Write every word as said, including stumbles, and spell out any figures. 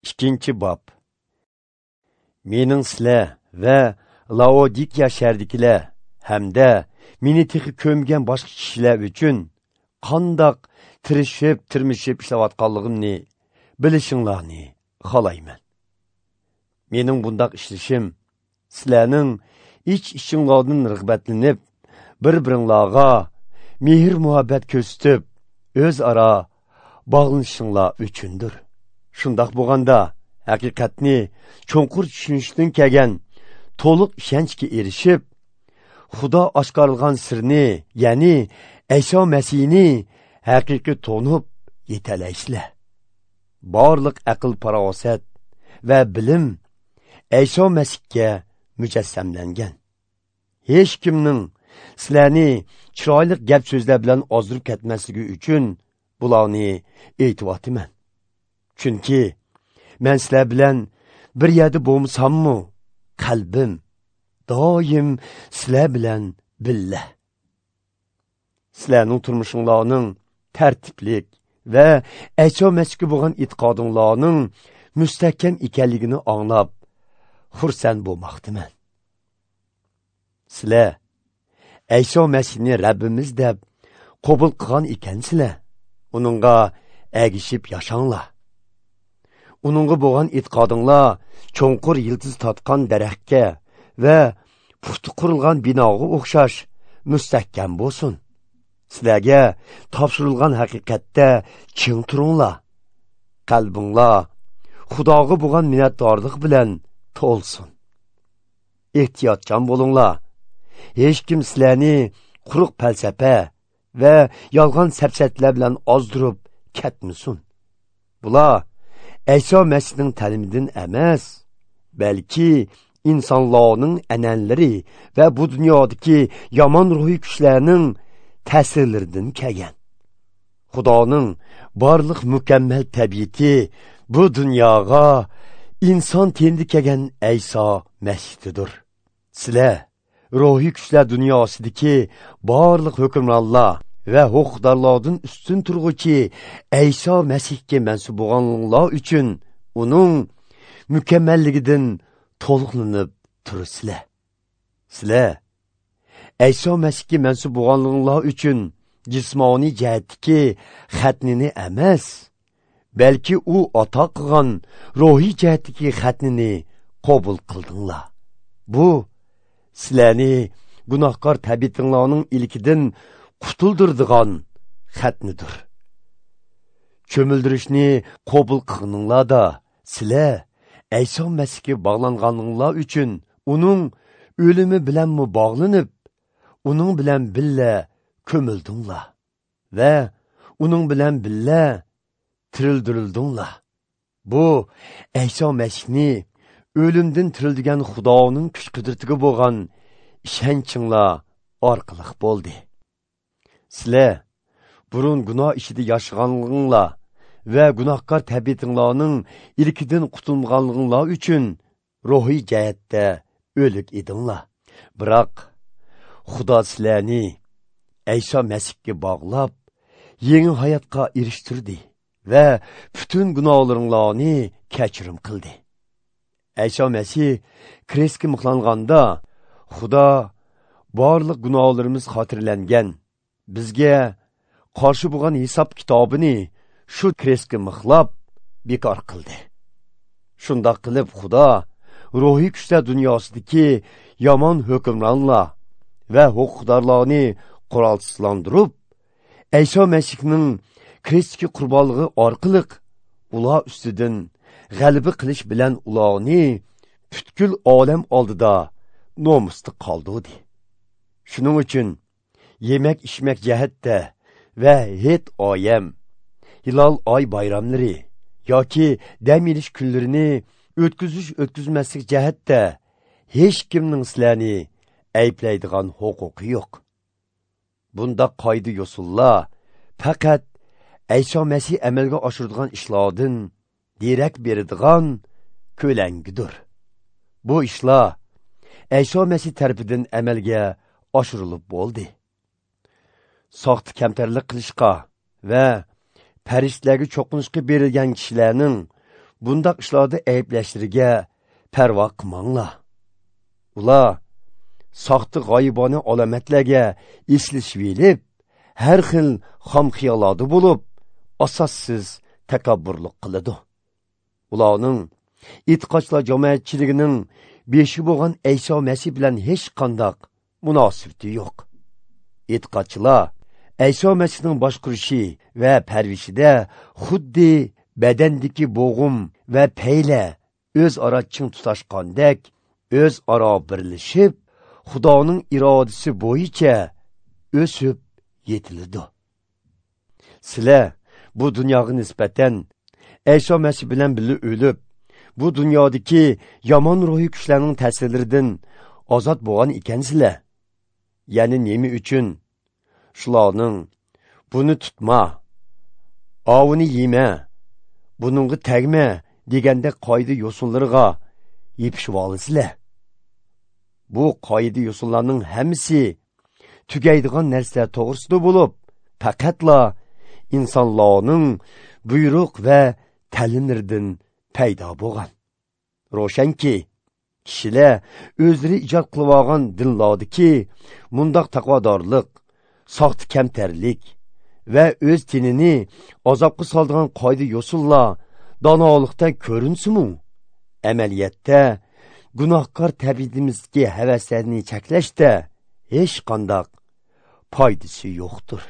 Ikkinchi bob. Mening sizlar va Laodikiya shahridagilar hamda meni texi ko'mgan boshqa kishilar uchun qandoq tirishib, tirmishib ishlayotganligimni bilishinglarni xohlayman. Mening bundoq ishlashim sizlarning ich-ichinglardan rag'batlanib, bir-biringlarga mehr-muhabbat ko'rsatib, o'zaro bog'lanishinglar uchundir. Shundoq bo'lganda haqiqatni cho'nqur tushunishdan kelgan to'liq ishonchga erishib, Xudo oshkorlagan sirni, ya'ni Ayso Masihni haqiqiy to'nib yetalaysizlar. Barliq aql farosat va bilim Ayso Masihga mujassamlangan. Hech kimning sizlarni chiroyli gap so'zlar bilan ozdirib ketmasligi uchun bularni aytyapman. Chunki men sizlar bilan bir yerda bo'lmasammi, qalbim doim sizlar bilan billa. Sizlarning turmushinglarning tartiblik va Ayso Masihga bo'lgan e'tiqodinglarning mustahkam ekanligini anglab xursand bo'lmoqdaman. Sizlar Ayso Masihni Rabbimiz deb qabul qilgan ekansizlar, uningga ergishib yashanglar. Uningga bo'lgan e'tiqodinglar cho'nqur yildiz tortgan daraxtga va puxta qurilgan binoga o'xshash mustahkam bo'lsin. Sizlarga topshirilgan haqiqatda ching turinglar. Qalbinglar Xudoga bo'lgan minnatdorlik bilan to'lsin. Ehtiyotchan bo'linglar. Hech kim sizlarni quruq falsafa va yolg'on safsatlar bilan ozdirib ketmasin. Bular Ayso Masihning ta'limidan emas, balki insonlarning an'analari va bu dunyodagi yomon ruhiy kuchlarning ta'sirlaridan kelgan. Xudoning barliq mukammal tabiati bu dunyoga inson tenida kelgan Ayso Masihdir. Sizlar ruhiy kuchlar dunyosidagi barliq hukmronlar va huquqdorlardan ustun turg'uchi Ayso Masihga mansub bo'lganlar uchun uning mukammalligidan to'liqlanib turasizlar. Sizlar Ayso Masihga mansub bo'lganlar uchun jismoniy jihatdagi xatnini emas, balki u ato qilgan ruhiy jihatdagi xatnini qabul qildinglar. Bu sizlarni gunohkor tabiatinglarning ilkidan qutuldirdigan xatnidir. Cho'mildirishni qabul qilganinglarda sizlar Ayso Masihga bog'langaninglar uchun uning o'limi bilanmi bog'lanib, uning bilan billa ko'mildinglar va uning bilan billa tirildirildinglar. Bu Ayso Masihni o'limdan tirildigan Xudoning kuch-qudratiga bo'lgan ishonchinglar orqali bo'ldi. Sizlar burun gunoh ichida yashaganliginglar va gunohkor tabiatinglarning ilkidan qutulmaganliginglar uchun ruhiy jihatda o'lik edinglar. Biroq Xudo sizlarni Ayso Masihga bog'lab, yangi hayotga erishtirdi va butun gunohlaringlarni kechirim qildi. Ayso Masih krestga mixlanganda Xudo barliq gunohlarimiz xotirlangan, bizga qarshi bo'lgan hisob kitobini shu krestga mixlab bekor qildi. Shundoq qilib Xudo ruhiy kuchlar dunyosidagi yomon hukmronlar va huquqdorlarni qurolsizlantirib, Ayso Masihning krestga qurbonligi orqali ular ustidan g'alaba qilish bilan ularni butkul olam oldida nomusda qoldirdi. Shuning uchun yemak ichmak jihatda va het oyam, hilol oy bayramlari yoki dam olish kunlarini o'tkazish o'tkazmaslik jihatda hech kimning sizlarni ayblaydigan huquqi yo'q. Bunda qoida yo'sullar faqat Ayso Masih amalga oshiradigan ishlardan derak beradigan ko'langidir. Bu ishlar Ayso Masih tarafidan amalga oshirilib bo'ldi. Soxta kamtarlik qilishga va farishtalarga cho'qinishga berilgan kishilarning bundaq ishlarda ayblashlariga parvo qilmanglar. Ular soxta g'oyibona alomatlarga eslashib elib, har xil xom xiyollarda bo'lib, asossiz takabburlik qiladi. Ularning e'tiqodchilar jamoatchiligining beshi bo'lgan Ayso Masih bilan hech qanday munosabati yo'q. E'tiqodchilar Ayso Masihning boshqurishi va parvishida xuddi badandagi bo'g'im va payla o'zaro ching tutashgandek o'zaro birlashib, Xudoning irodasi bo'yicha o'sib yetiladi. Sizlar bu dunyoga nisbatan Ayso Masih bilan birga o'lib, bu dunyodagi yomon ruhiy kuchlarning ta'sirlaridan ozod bo'lgan ekansizlar. Ya'ni nima uchun shularning buni tutma, ovini yema, buningga tegma deganda qoida yo'sinlarga yepishib olasizlar. Bu qoida yo'sinlarning hammasi tugaydigan narsalar to'g'risida bo'lib, faqatla insonlarning buyruq va ta'limlaridan paydo bo'lgan. Ro'shanki, kishilar o'zlari ijod qilib olgan dinlardagi mundoq taqvodorlik, soxta kamtarlik va o'z tenini azobga soladigan qoida yo'sinlar donolikdan ko'rinsin-mu, amaliyotda gunohkor tabiatimizdagi havaslarni cheklashda hech qanday foydasi yo'qdir.